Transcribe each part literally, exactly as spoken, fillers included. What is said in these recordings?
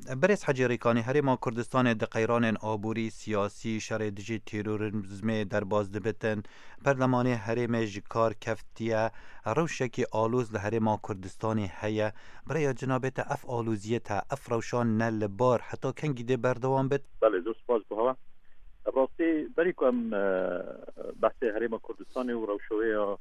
Berêz Hecî Rîkanî, Herêma Kurdistanê di qeyranên aborî, siyasî, şerê dijî terorîzmê derbas dibitin. Perlemanê herêmê ji kar keftiye. Rewşekî aloz li Herêma Kurdistanê heye. Bi rêya cinabê te ev aloziyê te, ev rewşan ne li bar, heta kengî dê berdewam bit? Belê, zor spas bo hewa. Rastî, berî ku em, e, behsê Herêma Kurdistanê û rewşa wê ya,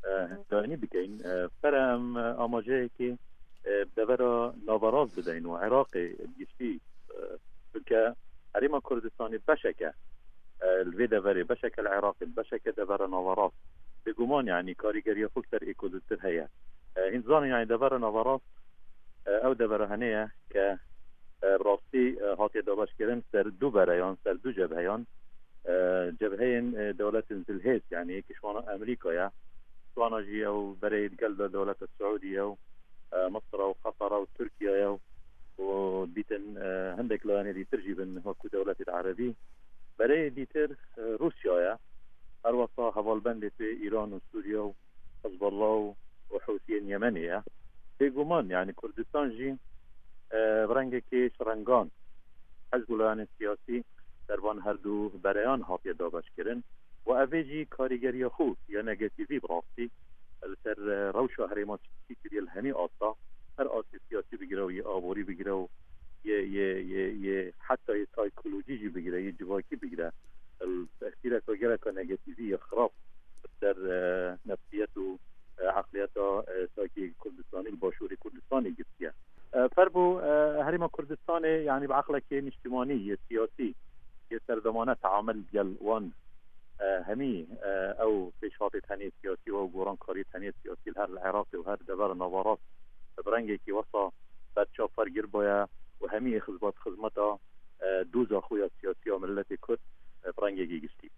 e, hindanî bikeyn, e, pere em, e, amaceyekê, e, devera naverast bideyn û Iraqê bi giştî, e, çunke Herêma Kurdistanê beşek e, e, li vê deverê, beşek e li Iraqê, beşek e devera naverast. Bêguman, yanî, karîgeriya xwe ser ê ku zûtir heye. E, hîn zanin, yanî, devera naverast, e, ew devera hene ye ke, e, bi rastî, e, hatiye dabeşkirin ser du bereyan, ser du cebheyan. E, cebheyên, e, dewletên zilhêz, yanî, yekî ji wana Amerîka ye, ji wana jî ew berê digel de dewleta Siûdî ye û, e, Misra û Qetara û Tirkiye ye û, û dîtin, e, hindek layanê dîtir jî bin, wekû dewletê Erebî. Berê dîtir, e, Rûsya ye. Her wesa hevalbendê pê Îran û Sûriye û Hizbullah û, û Hûsiyên Yemenê ye. Bêguman, yanî Kurdistan jî, e, bi rengekê şirengan hizb û layanên siyasî ser van her du bereyan hatiye dabeşkirin û ev ê jî karîgeriya xwe ya negatîvî bi rastî li ser, e, rewşa herêma çî kiriye li hemî asta, her astê siyasî bigire û yê aborî bigire û yê, yê, yê, yê heta yê saykolojî jî bigire, yê civakî bigire. Li tesîreka geleka negatîvî ya xirab li ser, e, nefsiyet û, e, eqliyeta, e, sakê Kurdistanî li Başûrê Kurdistanê girtiye. E, fer bû, e, Herêma Kurdistanê, yanî bi eqlekê niştimanî, yê siyasî, yê serdemane teamel gel wan, e, hemî, e, ew pêşhatê tenê siyasî û ew gorankariyê tenê siyasî li her li Iraqê û her dever naverast bi rengekî wesa berçav fergir bûye û hemî xizmet xizmeta, e, doza xwe ya siyasî ya miletê Kurd, e, bi rengekî giştî.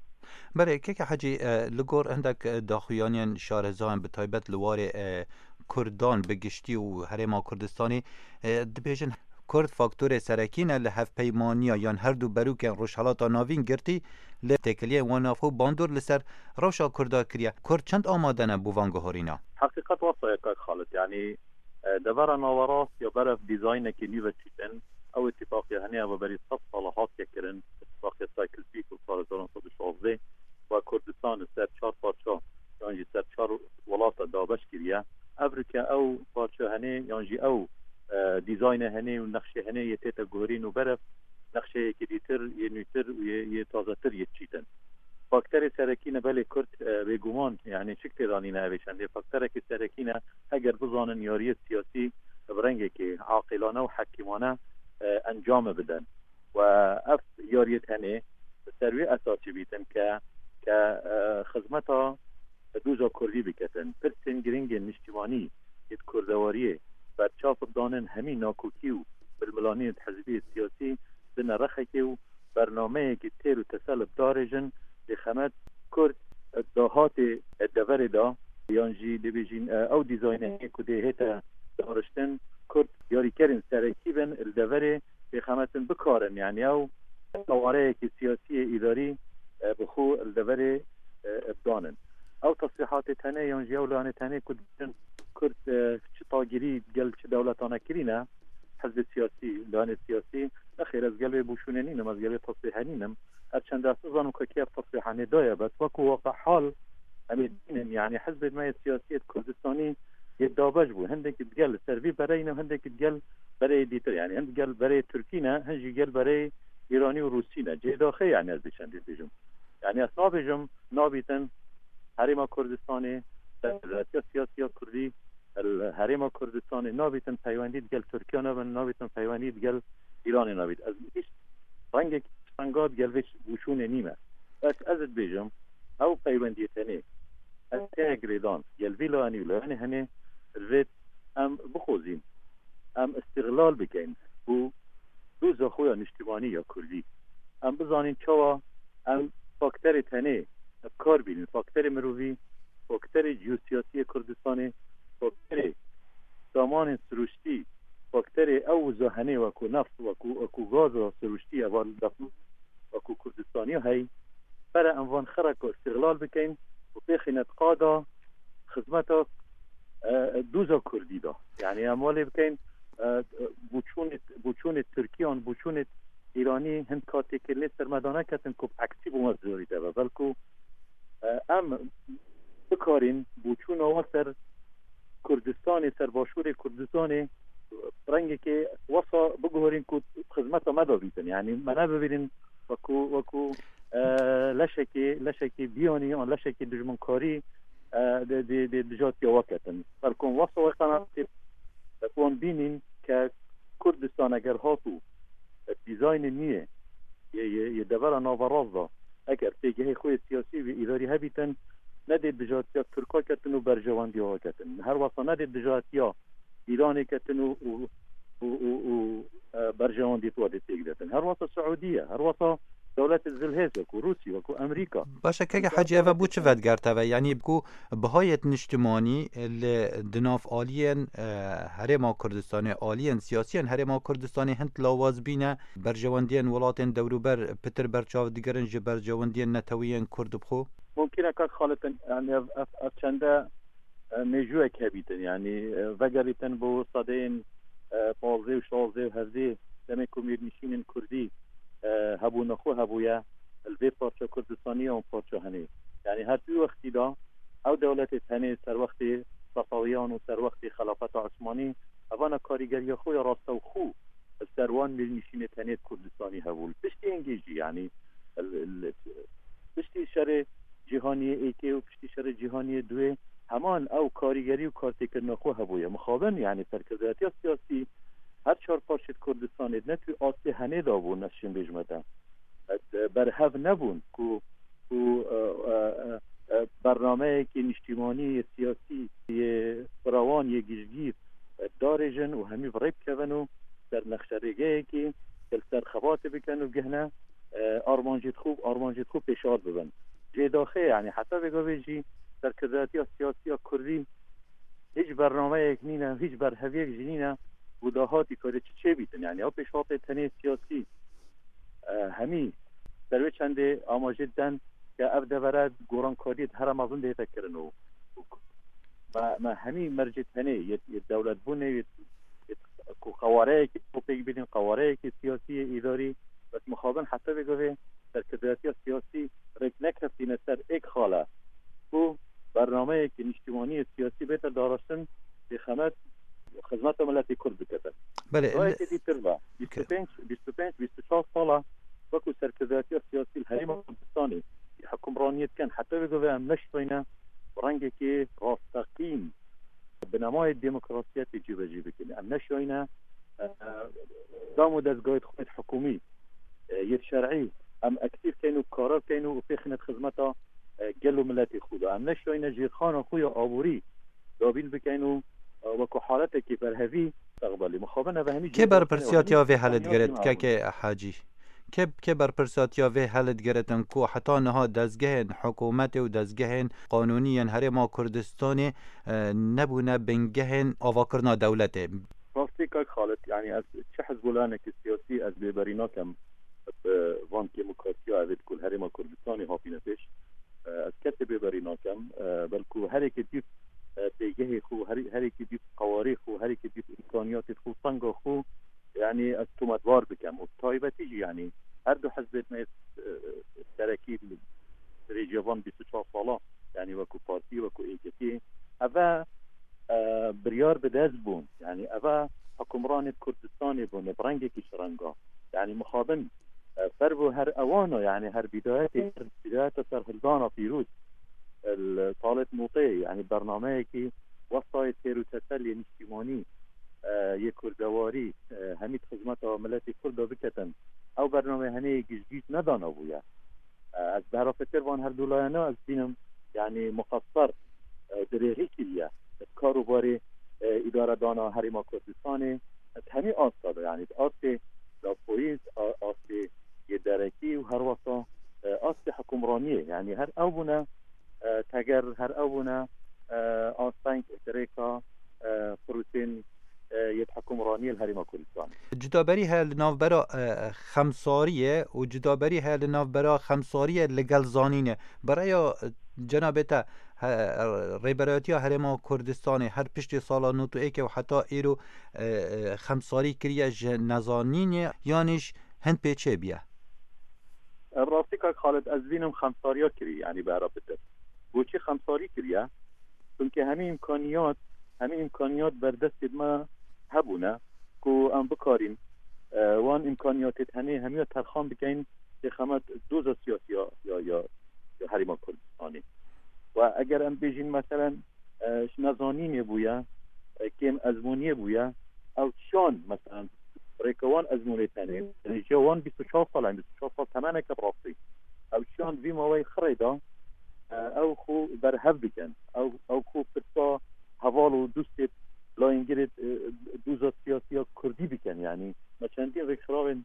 Belê, keke Hecî, e, li gor hindek, e, daxuyaniyên şarezayan bi taybet li warê, e, Kurdan bi giştî û Herêma Kurdistanê, e, dibêjin Kurd faktorê serekî ne li hevpeymaniya yan her du berûkên Rojhelata Navîn girtî li têkiliyên wan navxwe bandor li ser rewşa Kurda kiriye. Kurd çend amade ne bo van guherîna? Heqîqet wesa ye kak Xalid, yanî, e, devera naverast ya berev dîzaynekî nî ve çîtin. Ew îtîfaqê hene ya berî sed sala hatiye kirin, îtîfaqê Sykes-Picot sala hezar neh sed û şazdeh, we Kurdistan li ser çar parça yan jî ser çar welata dabeş kiriye. Ev rike ew parça hene yan jî ew, e, dîzayne hene û nexşê hene yê tête guherîn û berev nexşeyekî dîtir, yê nûtir û yê, yê tazetir yê çîtin. Fakterê serekî ne belê Kurd, e, bêguman, yanî çik têdanîne ev ê çendê. Fakterekî serekî ne, heger bizanin yariyê siyasî bi rengekê aqilane û hekîmane, e, encame bidin. Û ev yariyê tenê bi ser wê esasî bîtin ke, ke, e, xizmeta doza Kurdî biketin. Pirsên girîngên niştimanî yê di kurdewariyê berçav bidanin hemî nakokî û milmilaniyên hizbiyê siyasî bine rexekê û bernameyekî têr û tesel bidarêjin, bêxemet Kurd dahatê deverê de, yan jî dibêjin, e, ew dîzaynê ku dê hête dariştin, Kurd yarîkerên serekî bin li deverê bêxemetin bikarin, yanî ew qawareyekî siyasî yê îdarî, e, bi xwe li deverê, e, bidanin. Ew tesrîhatê tenê yan jî ew lanê tenê ku dibêjin Kurd, e, çi tagirî gel çi dewletane kirîne, hizbê siyasî, lanê siyasî, nexêr, ez gel wê bûşûnê nînim, ez gel wê tesrîhê nînim. Her çend ez nizanim ku kê ev tesrîhanê daye, bes wekû waqe hal em ê bînin, yanî hizbên me yê siyasî yê Kurdistanî yê dabeş bû. Hindekî digel li ser vî bereyî ne, hindekî digel bereyê dîtir, yanî hin digel bereyê Tirkî ne, hin jî gel bereyê Îranî û Rûsî ne. Cêdaxê, yanî ez vê çendê dibêjim. Yanî ez nabêjim, nabîtin Herêma Kurdistanê, rêveberiya siyasî ya Kurdî, li Herêma Kurdistanê nabîtin peywendî digel Tirkiye nebin, nabîtin peywendî digel Îranê nabît. Ez hîç rengekî stenga digel vê bûşûnê nîme. Bes ez dibêjim, ew peywendiyê tenê, ez heye girêdan, gel vî layanî û layanê henê, divêt em bixwazîn, em îstîxlal bikeyn û doza xwe ya niştimanî ya Kurdî. Em bizanîn çawa em fakterê tenê bi kar bînin, fakterê mirovî, fakterê ciyosiyasî yê Kurdistanê, fakterê samanên siruştî, fakterê ew wiza henê wekû neft, wekû, wekû gaza siruştî, eva li def wekû Kurdistaniya hey, pere em van xereka îstîxlal bikeyn û pêxîne di qada xizmeta, e, doza Kurdî de. Yanî em welê bikeyn e, bûçûnê, bûçûnê Tirkiyan, bûçûnê Îranî hin katêkê lê sermedane ketin ku bi eksî bû me zûrî de be. Belku, e, em bikarîn bûçûna we ser Kurdistanê, ser başûrê Kurdistanê, rengekê wesa biguherîn ku xizmeta me de bîtin. Yanî me nebibînin wekû, wekû, e, leşekê, leşekê biyanî an leşekê dijminkarî, e, dê, dê, dê dijatiya we ketin. Belku wesa we qenatê wan bînîn ke Kurdistan eger hatû, e, dîzaynê nû yê, yê, yê, yê devera naverast de, eger pêgehê xwe yê siyasî û îdarî hebîtin, nedê dijatiya Tirka ketin û berjewendiya we ketin. Her wesa nedê dijatiya Îranê ketin û, û, û, û, û, e, berjewendiyê tu dê têk detin. Her wesa Siûdî ye, her wesa dewletê zilhêz wekû Rûsî, wekû Amerîka. Baş e, keke Hecî, eve bû çi vedigerte ve? Yanî bi ku bihayê niştimanî li di nav aliyên, e, Herêma Kurdistanê, aliyên siyasiyên Herêma Kurdistanê hin lawaz bîne, berjewendiyên welatên dewrûber pitir berçav digirin ji berjewendiyên netewî yên Kurd bi xwe? Mumkin e kak Xalid, yanî ev, ev, ev çende, e, mêjûyek hebîtin, yanî, e, vegerîtin bo sedeyên, e, pazdeh û şazdeh û hevdeh, demê ku mîrnişînên Kurdî, e, hebûna xwe hebûye, li vê parça Kurdistanê ya û parça henê. Yanî her du wextî de ew dewletê tenê ser wextê Sefewiyan û ser wextê Xelafeta Osmanî, evana karîgeriya xwe ya rastewxû li ser wan mîrnişînê tenê Kurdistanî hebû. Li piştî hingê jî, yanî, li, li, piştî şerê cîhaniyê êkê û piştî şerê cîhaniyê duê heman ew karîgerî û kartêkirina xwe hebûye. Mixabin, yanî serkirdayetiya siyasî her çar parçeyê Kurdistanê ne tu astê henê de bûn, ez şên bêjime te. E, berhev nebûn ku, ku, e, e, e, e, bernameyekî niştimanî yê siyasî yê firawan yê giştgîr, e, darêjin û hemî bi rê bikevin û ser nexşerêgeyekî li ser xebatê bikin û gihne, e, armancê xwe, armancê xwe pêşat bibin. Jê daxê, yanî heta vê gavê jî serkirdayetiya siyasî ya Kurdî hîç bernameyek nîne, hîç berheviyek jî nîne ku dahatî karê çi çêbîtin. Yanî ew pêşhatê tenê siyasî, e, hemî ser wê çendê amajê didin ke ev devere gorankariyê di here mezin dihête kirin û, û me, me hemî mercê tenê yê, yê dewletbûnê, yê, yê ku qewareyekî xwe pêk bînin, qewareyekî siyasî yê îdarî, bes mixabin heta vê gavê serkirdayetiya siyasî rêk nekeftîne ser êk xale ku bernameyekî niştimanî yê siyasî bête daraştin, bêxemet xizmeta miletê Kurd bikete. Belê, Rayekê dîtir ve, bîst û pênc, bîst û pênc, bîst û çar sala wekû serkirdayetiya siyasî li Herêma Kurdistanê hukimraniyê dikin, heta vê gavê em neştoyne bi rengekî rasteqîn binemayê demokrasiyetê cîbecî bikin. Em neştoyne, e, dam û dezgahê xwe yê hikûmî, e, yê şer'î, em aktîf keyn û karar keyn û pêxîne xizmeta, e, gel û miletê xwe de. Em neştoyne jêrxana xwe ya aborî dabîn bikeyn û, e, wekû haletekî berhevî steqbelî. Mixabin ev hemî Kê jêrxanê berpirsiyatiya wehmî vê hele digiret, keke Hacî? Kê, kê berpirsiyatiya vê hele digiritin ku heta niha dezgehên hikûmetê û dezgehên qanûnî yên Herêma Kurdistanê, e, nebûne bingehên avakirina dewletê? Rastî kak Xalid, yanî ez çi hizbûlanekî siyasî ez bêberî nakem bi van kêmûkatiya evê ku li Herêma Kurdistanê hatîne pêş. E, ez kesê bêberî nakem. E, belku herêkê dîv, e, pêgehê xwe, her-, herêkê dîv qewarê xwe, herêkê dîv îmkaniyatê xwe, tenga xwe, yanî ez tometbar bikem. Û taybetî jî, yanî her du hizbên me, e, serekî li rêcevan bîst û çar sala, yanî wekû partî, wekû êketî, eve, e, biryar bi dest bûn. Yanî eve hukimranê Kurdistanê bûne, bi rengekî ji renga. Yanî mixabin, e, fervo her ewana, yanî her bidayetê, her bidayeta serhildana pîroz, e, li Talêt Mûtê, yanî bernameyekî westayê têr û teselê niştimanî, e, yê kurdewarî, e, hemî di xizmeta miletê Kurd de biketin. Ew bername henê giştgîş nedana bûye. E, ez bi herafetir van her du layana ez bînim, yanî muqesser, e, dirêxî kiriye. Di karûbarê, e, îdaredana Herêma Kurdistanê, di hemî asta de, yanî di astê dapoyîz, a-, astê yê derekî û her wesa, e, astê hukimraniyê. Yanî her ew bûne, e, teger, her ew bûne, e, asteng, dirêka, e, firûtên, e, yê hukimraniyê li Herêma Kurdistanê. Cudaberî heye li navbera, e, xemsariyê û cudaberî heye li navbera xemsariyê li gel zanînê. Bi rêya, e, cenabê te, He, Rêberayetiya Herêma Kurdistanê her piştî sala nod û êkê û heta îro, e, e, xemsarî kiriye ji nezanînê yanî ji hin pêçê biye? Ev rastî kak Xalid, ez dibînim xemsariya kirî, yanî bera bitir. Boçî xemsarî kiriye? Çimkî hemî îmkaniyat, hemî îmkaniyat berdestê me hebûne ku em bikarîn, e, wan îmkaniyatê tenê hemiya terxan bikeyn, têxemet doza siyasî ya, ya, ya, ya Herêma Kurdistanê. Ve eger em bêjîn, meselen, e, ji nezanînê bûye, e, kêm ezmûniyê bûye, ew çiyan, meselen, rêka wan ezmûnê tenê, rêjeya wan bîst û çar sal e, bîst û çar sal temeneke bi rastî. Ew çiyan di vî maweyê xirê de, e, ew xwe berhev bikin. Ew, ew xwe pirsa heval û dostê layîngirê, e, doza siyasî ya Kurdî bikin. Yanî me çendî rêkxirawên,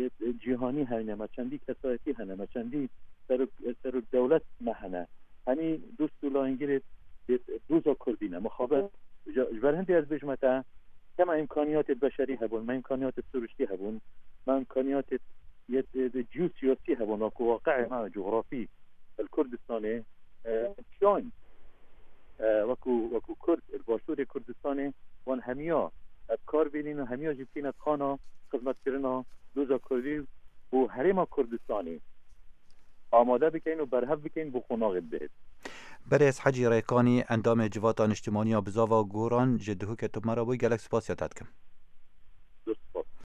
e, e, cîhanî hene, me çendî kesayetî hene, me çendî serok, e, serok dewlet me hene. Hemî dost û layîngirê, e, doza Kurdî ne. Mixabin, ji, ji ber hindê ez bêjime te, kema îmkaniyatê beşerî hebûn, me îmkaniyatê siruştî hebûn, me îmkaniyatê yet, e, cî û siyasî hebûn, wekû waqi'ê me cografî li Kurdistanê, e, çiyan, e, wekû, wekû Kurd, li Başûrê Kurdistanê, wan hemiya ev kar bînîn û hemiya jî tîne xana xizmetkirina doza Kurdî û Herêma Kurdistanê amade bikeyn û berhev bikeyn bo qonaxê bihêt. Berêz Hecî Rêkanî, endamê Civata Niştimanî ya Bizava Goran ji Duhokê tu me re bû, gelek spasiya te dikim.